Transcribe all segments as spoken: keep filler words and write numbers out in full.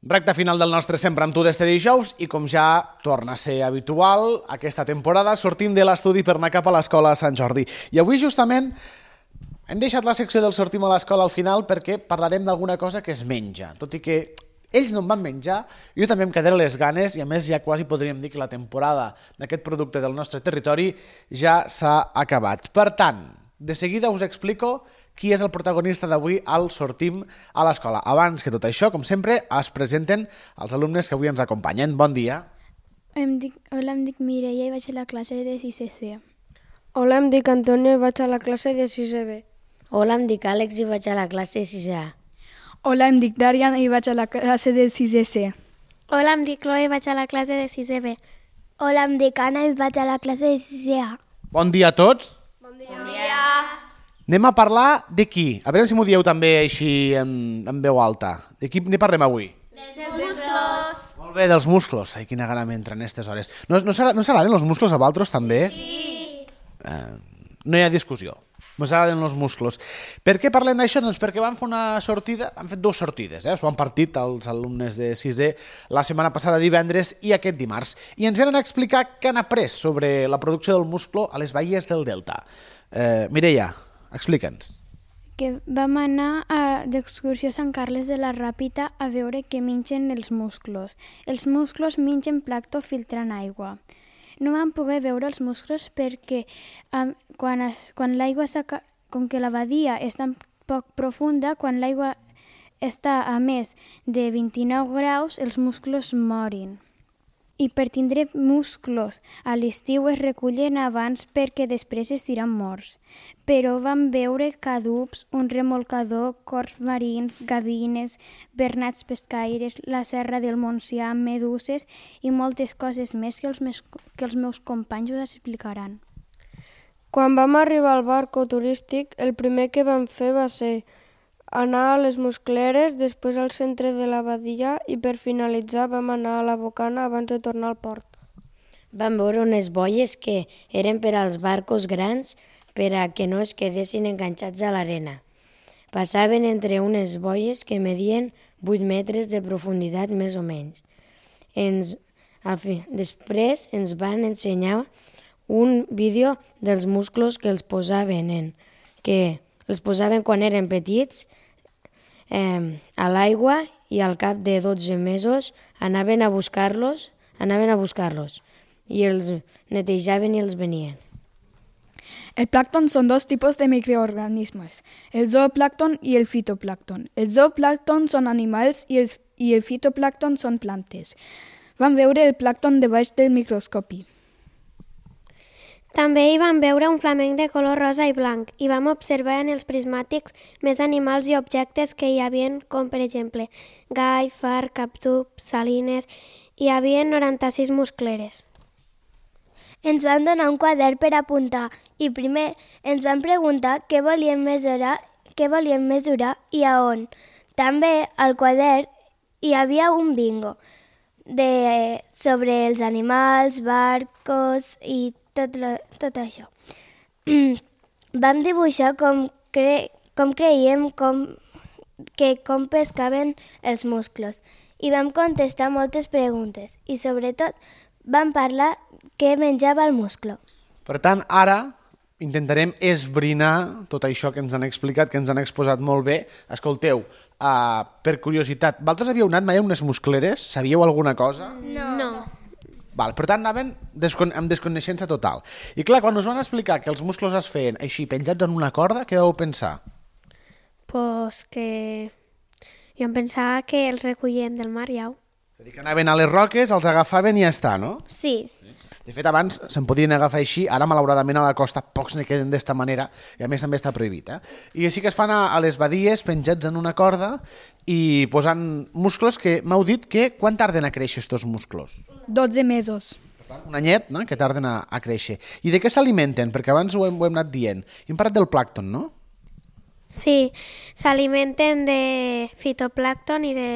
Recta final del nostre Sempre amb tu d'este dijous i com ja torna a ser habitual aquesta temporada sortim de l'estudi per anar cap a l'escola a Sant Jordi. I avui justament hem deixat la secció del sortim a l'escola al final perquè parlarem d'alguna cosa que es menja. Tot i que ells no en van menjar, jo també em quedaré les ganes i a més ja quasi podríem dir que la temporada d'aquest producte del nostre territori ja s'ha acabat. Per tant, de seguida us explico qui és el protagonista d'avui al Sortim a l'Escola. Abans que tot això, com sempre, es presenten els alumnes que avui ens acompanyen. Bon dia. Em dic, hola, em dic Mireia i vaig a la classe de sisè C. Hola, em dic Antonio i vaig a la classe de sisè B. Hola, em dic Àlex i vaig a la classe de sisè A. Hola, em dic Darian i vaig a la classe de sisè C. Hola, em dic Chloe i vaig a la classe de sisè B. Hola, em dic Anna i vaig a la classe de sisè A. Bon dia a tots. Bon dia. Bon dia. Anem a parlar de qui? A veure si m'ho dieu també així en, en veu alta. De qui ne parlem avui? Dels musclos. Molt bé, dels musclos. Ai, quina gana m'entra en aquestes hores. No, no, no s'agraden els musclos a vosaltres també? Sí. Eh, no hi ha discussió. Ens agraden els musclos. Per què parlem d'això? Doncs perquè vam fer una sortida, han fet dues sortides, eh? S'ho han partit els alumnes de sisè la setmana passada divendres i aquest dimarts. I ens venen a explicar què han après sobre la producció del musclo a les baies del Delta. Eh, Mireia, explica'ns. Que vam anar a, d'excursió a Sant Carles de la Ràpita a veure què mengen els musclos. Els musclos mengen plàncton filtrant aigua. No vam poder veure els musclos perquè um, quan, es, quan l'aigua s'aca... com que la badia és tan poc profunda, quan l'aigua està a més de vint-i-nou graus, els musclos morin. I per tindre musclos a l'estiu es recullen abans perquè després es tiren morts. Però vam veure cadups, un remolcador, corts marins, gavines, bernats pescaires, la serra del Montsià, meduses i moltes coses més que els, mes, que els meus companys us explicaran. Quan vam arribar al barco turístic, el primer que vam fer va ser anar a les muscleres, després al centre de la badia i per finalitzar vam anar a la bocana abans de tornar al port. Vam veure unes boies que eren per als barcos grans per a que no es quedessin enganxats a l'arena. Passaven entre unes boies que medien vuit metres de profunditat més o menys. Ens, al fi, després ens van ensenyar un vídeo dels musclos que els posaven en, que els posaven quan eren petits eh, a l'aigua i al cap de dotze mesos anaven a buscar-los, anaven a buscar-los i els netejaven i els venien. El plàncton són dos tipus de microorganismes, el zooplàncton i el fitoplàncton. El zooplàncton són animals i el, i el fitoplàncton són plantes. Vam veure el plàncton debaix del microscopi. També hi vam veure un flamenc de color rosa i blanc i vam observar en els prismàtics més animals i objectes que hi havia, com per exemple gai, far, captub, salines. Hi havia noranta-sis muscleres. Ens van donar un quadern per apuntar i primer ens van preguntar què volíem mesurar, què volíem mesurar i a on. També al quadern hi havia un bingo de, sobre els animals, barcos i tot, lo, tot això. Vam dibuixar com, cre, com creiem com, que com pescaven els musclos i vam contestar moltes preguntes i sobretot vam parlar què menjava el musclo. Per tant, ara intentarem esbrinar tot això que ens han explicat, que ens han exposat molt bé. Escolteu, uh, per curiositat, vosaltres havíeu anat mai a unes muscleres? Sabíeu alguna cosa? No. no. Val, per tant, anaven descon amb desconeixença total. I clar, quan us van explicar que els musclos es feien així, penjats en una corda, què vau pensar? Pues que... Jo em pensava que els recollien del mar, ja. És a dir, que anaven a les roques, els agafaven i ja està, no? Sí. De fet, abans se'n podien agafar així, ara malauradament a la costa pocs ne queden d'esta manera i a més també està prohibit. Eh? I així que es fan a, a les badies penjats en una corda i posant musclos que m'heu dit que quan tarden a créixer estos musclos? dotze mesos. Un anyet, no?, que tarden a, a créixer. I de què s'alimenten? Perquè abans ho hem, ho hem anat dient. I hem parlat del plàncton, no? Sí, s'alimenten de fitoplàncton i de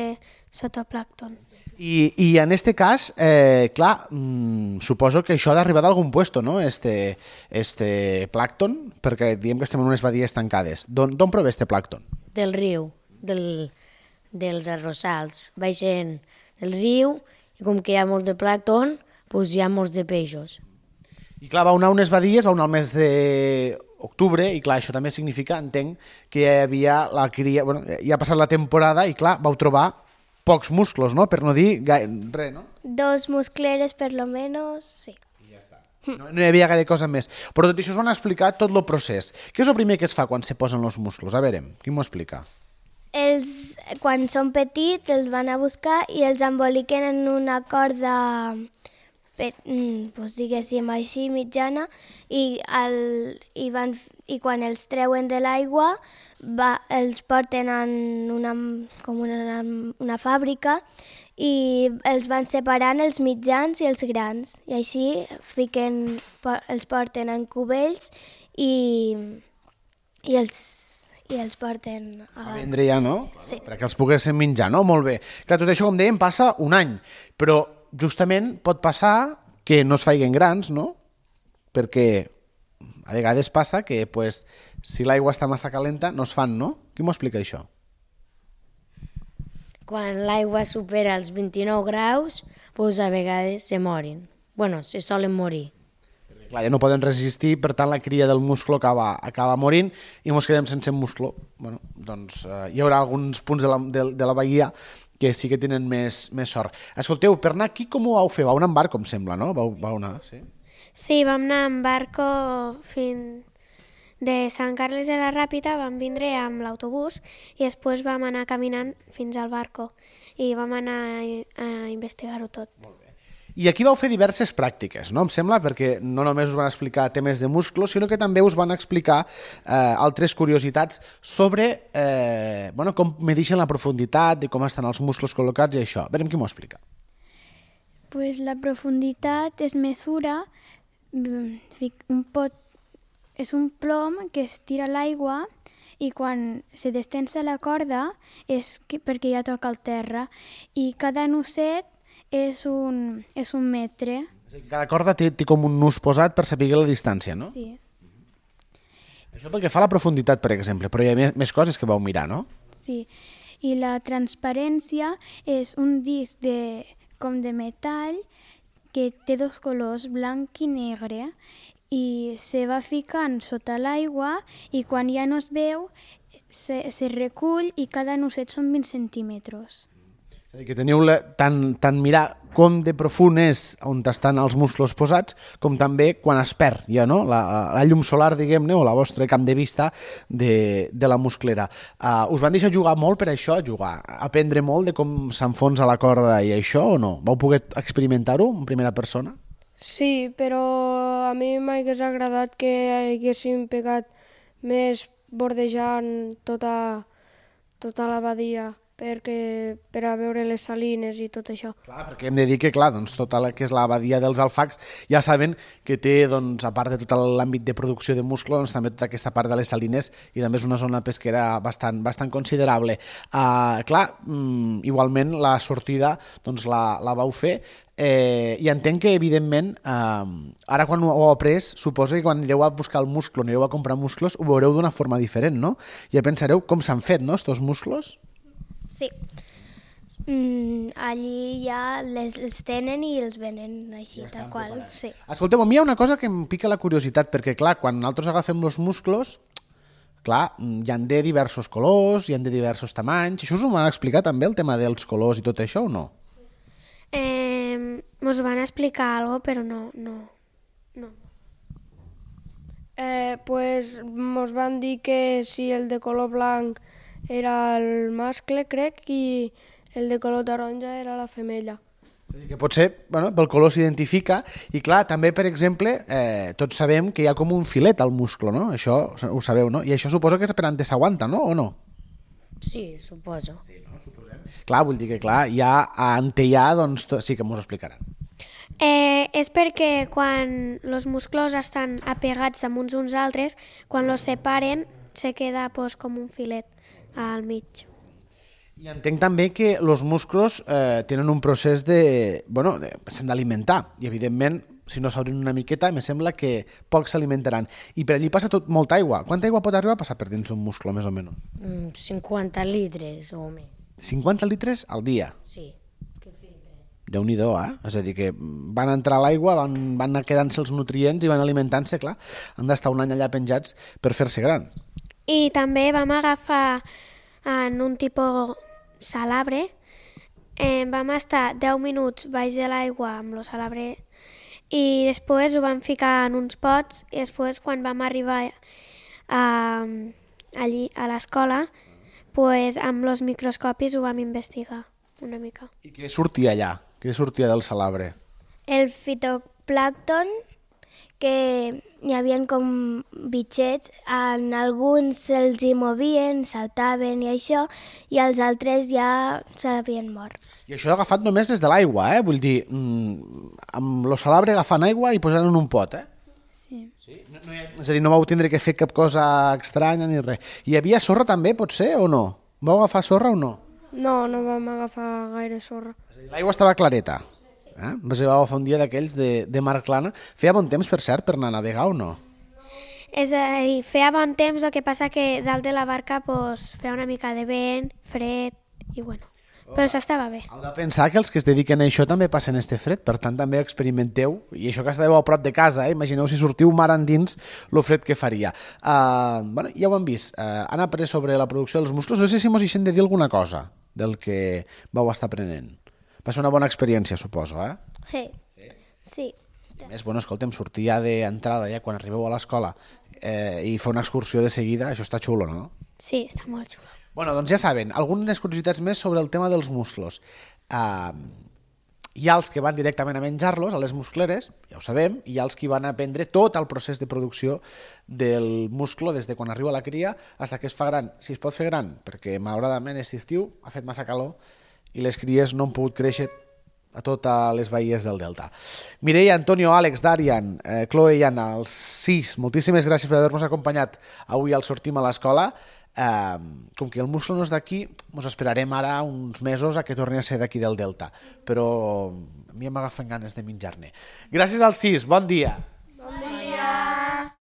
sotoplàncton. I, i en este cas, eh, clar, mmm, suposo que això ha d'arribar d'algun puesto, no?, este, este plàncton, perquè diem que estem en unes badies tancades. D'on prové este plàncton? Del riu, del, dels arrossals. Baixen el riu i com que hi ha molt de plàncton, doncs hi ha molts de peixos. I clar, va anar a unes badies, va anar al mes d'octubre, i clar, això també significa, entenc, que hi havia la cria... Bueno, ja ha passat la temporada i clar, vau trobar pocs musclos, no? Per no dir res, no? Dos muscleres per lo menos, sí. I ja està. No, no hi havia gaire cosa més. Però tot això us van explicar tot el procés. Què és el primer que es fa quan se posen els musclos? A veure, qui m'ho explica? Els, quan són petits, els van a buscar i els emboliquen en una corda, pe- mm, doncs diguéssim així, mitjana, i, el, i, van, i quan els treuen de l'aigua va, els porten en una, com una, una fàbrica i els van separant els mitjans i els grans. I així fiquen, els porten en cubells i, i els i els porten a... A vendre ja, no? Sí. Perquè els poguessin menjar, no? Molt bé. Clar, tot això, com dèiem, passa un any, però justament pot passar que no es faiguen grans, no? Perquè a vegades passa que pues, si l'aigua està massa calenta no es fan, no? Qui m'ho explica això? Quan l'aigua supera els vint-i-nou graus, doncs a vegades se morin. Bueno, se solen morir. Clar, ja no poden resistir, per tant la cria del musclo acaba, acaba morint i ens quedem sense musclo. Bueno, doncs eh, hi haurà alguns punts de la, de, de la bahia que sí que tenen més, més sort. Escolteu, per anar aquí com ho vau fer? Vau anar en barco, em sembla, no? Vau, vau anar, sí? Sí, vam anar en barco fins de Sant Carles de la Ràpita, vam vindre amb l'autobús i després vam anar caminant fins al barco i vam anar a, a investigar-ho tot. Molt bé. I aquí vau fer diverses pràctiques, no? Em sembla, perquè no només us van explicar temes de musclos, sinó que també us van explicar eh, altres curiositats sobre eh, bueno, com medixen la profunditat, de com estan els musclos col·locats i això. Verem qui m'ho explica. Pues la profunditat es mesura, un pot, és un plom que es tira a l'aigua i quan se destensa la corda és que, perquè ja toca el terra i cada nusset és un, és un metre. Cada corda té, té com un nus posat per saber la distància, no? Sí. Això pel que fa a la profunditat, per exemple, però hi ha més, més coses que vau mirar, no? Sí, i la transparència és un disc de, com de metall que té dos colors, blanc i negre, i se va ficant sota l'aigua i quan ja no es veu se, se recull i cada nusset són vint centímetres. És a dir, que teniu la, tant, tant mirar com de profund és on estan els musclos posats, com també quan es perd ja, no? la, la llum solar, diguem-ne, o la vostra camp de vista de, de la musclera. Uh, us van deixar jugar molt per això, jugar, aprendre molt de com s'enfonsa la corda i això, o no? Vau poder experimentar-ho en primera persona? Sí, però a mi m'hagués agradat que haguéssim pegat més bordejant tota, tota la badia, perquè, per a veure les salines i tot això. Clar, perquè hem de dir que, clar, doncs, tota la que és la badia dels Alfacs ja saben que té, doncs, a part de tot l'àmbit de producció de musclo, doncs, també tota aquesta part de les salines i també és una zona pesquera bastant, bastant considerable. Uh, clar, mm, igualment la sortida doncs, la, la vau fer eh, i entenc que, evidentment, eh, ara quan ho heu après, suposo que quan anireu a buscar el musclo, anireu a comprar musclos, ho veureu d'una forma diferent, no? Ja pensareu com s'han fet, no?, estos musclos? Sí. Mm, allí ja les, els tenen i els venen així, Ja tal qual. Sí. Escolteu, a mi hi ha una cosa que em pica la curiositat, perquè, clar, quan nosaltres agafem els musclos, clar, hi han de diversos colors, hi han de diversos tamanys. Això us ho van explicar també, el tema dels colors i tot això, o no? Eh, mos van explicar algo, però no, no, no. Eh, pues mos van dir que si el de color blanc era el mascle, crec, i el de color taronja era la femella. És a dir, que potser bueno, pel color s'identifica i clar, també per exemple eh, tots sabem que hi ha com un filet al musclo, no? Això ho sabeu, no? I això suposo que és per on s'aguanta, no? O no? Sí, suposo. Sí, no? Suposem. Clar, vull dir que clar, ja a Antellà doncs to- sí que m'ho explicaran. Eh, és perquè quan els musclos estan apegats damunt uns altres, quan els separen se queda pues, com un filet al mig. I entenc també que els musclos eh, tenen un procés de... bueno, de, s'han d'alimentar i evidentment si no s'obrin una miqueta me sembla que pocs s'alimentaran i per allí passa tot molta aigua. Quanta aigua pot arribar a passar per dins un musclo més o menys? Mm, cinquanta litres o més. cinquanta litres al dia. Sí, que filtre. Déu-n'hi-do, eh? És a dir, que van entrar a l'aigua, van, van anar quedant-se els nutrients i van alimentant-se, clar. Han d'estar un any allà penjats per fer-se gran. I també vam agafar en un tipus salabre, eh, vam estar deu minuts baix de l'aigua amb el salabre i després ho vam ficar en uns pots i després quan vam arribar a, allí a l'escola, pues, amb els microscopis ho vam investigar una mica. I què sortia allà? Què sortia del salabre? El fitoplàncton, que hi havia com bitxets, en alguns se'ls hi movien, saltaven i això, i els altres ja s'havien mort. I això agafat només des de l'aigua, eh? Vull dir, mmm, amb el salabre agafant aigua i posant en un pot, eh? Sí. Sí? No, no hi ha... És a dir, no vau tindre que fer cap cosa estranya ni res. Hi havia sorra també, pot ser, o no? Vau agafar sorra o no? No, no vam agafar gaire sorra. L'aigua estava clareta. Eh? Vas agafar un dia d'aquells de, de mar plana. Feia bon temps, per cert, per anar a navegar o no? És a dir, feia bon temps, el que passa que dalt de la barca pues, feia una mica de vent, fred, i bueno, però s'estava bé. Heu de pensar que els que es dediquen a això també passen este fred, per tant també experimenteu, i això que estàveu a prop de casa, eh? Imagineu si sortiu mar endins lo fred que faria. Uh, bueno, ja ho hem vist, uh, han après sobre la producció dels musclos, no sé si mos deixem de dir alguna cosa del que vau estar aprenent. Va ser una bona experiència, suposo, eh? Sí. Sí. I a més, bueno, escolta'm, sortir ja d'entrada, ja quan arribeu a l'escola, eh, i fer una excursió de seguida, això està xulo, no? Sí, està molt xulo. Bueno, doncs ja saben, algunes curiositats més sobre el tema dels musclos. Uh, hi ha els que van directament a menjar-los, a les muscleres, ja ho sabem, i hi ha els que van aprendre tot el procés de producció del musclo des de quan arriba la cria fins que es fa gran. Si es pot fer gran, perquè malauradament aquest estiu ha fet massa calor i les cries no han pogut créixer a totes les baies del Delta. Mireia, Antonio, Àlex, Darian, eh, Chloe i Anna, els sis, moltíssimes gràcies per haver-nos acompanyat avui al Sortim a l'Escola. Eh, com que el musclo no és d'aquí, ens esperarem ara uns mesos a que torni a ser d'aquí del Delta, però a mi m'agafen ganes de menjar-ne. Gràcies als sis, bon dia.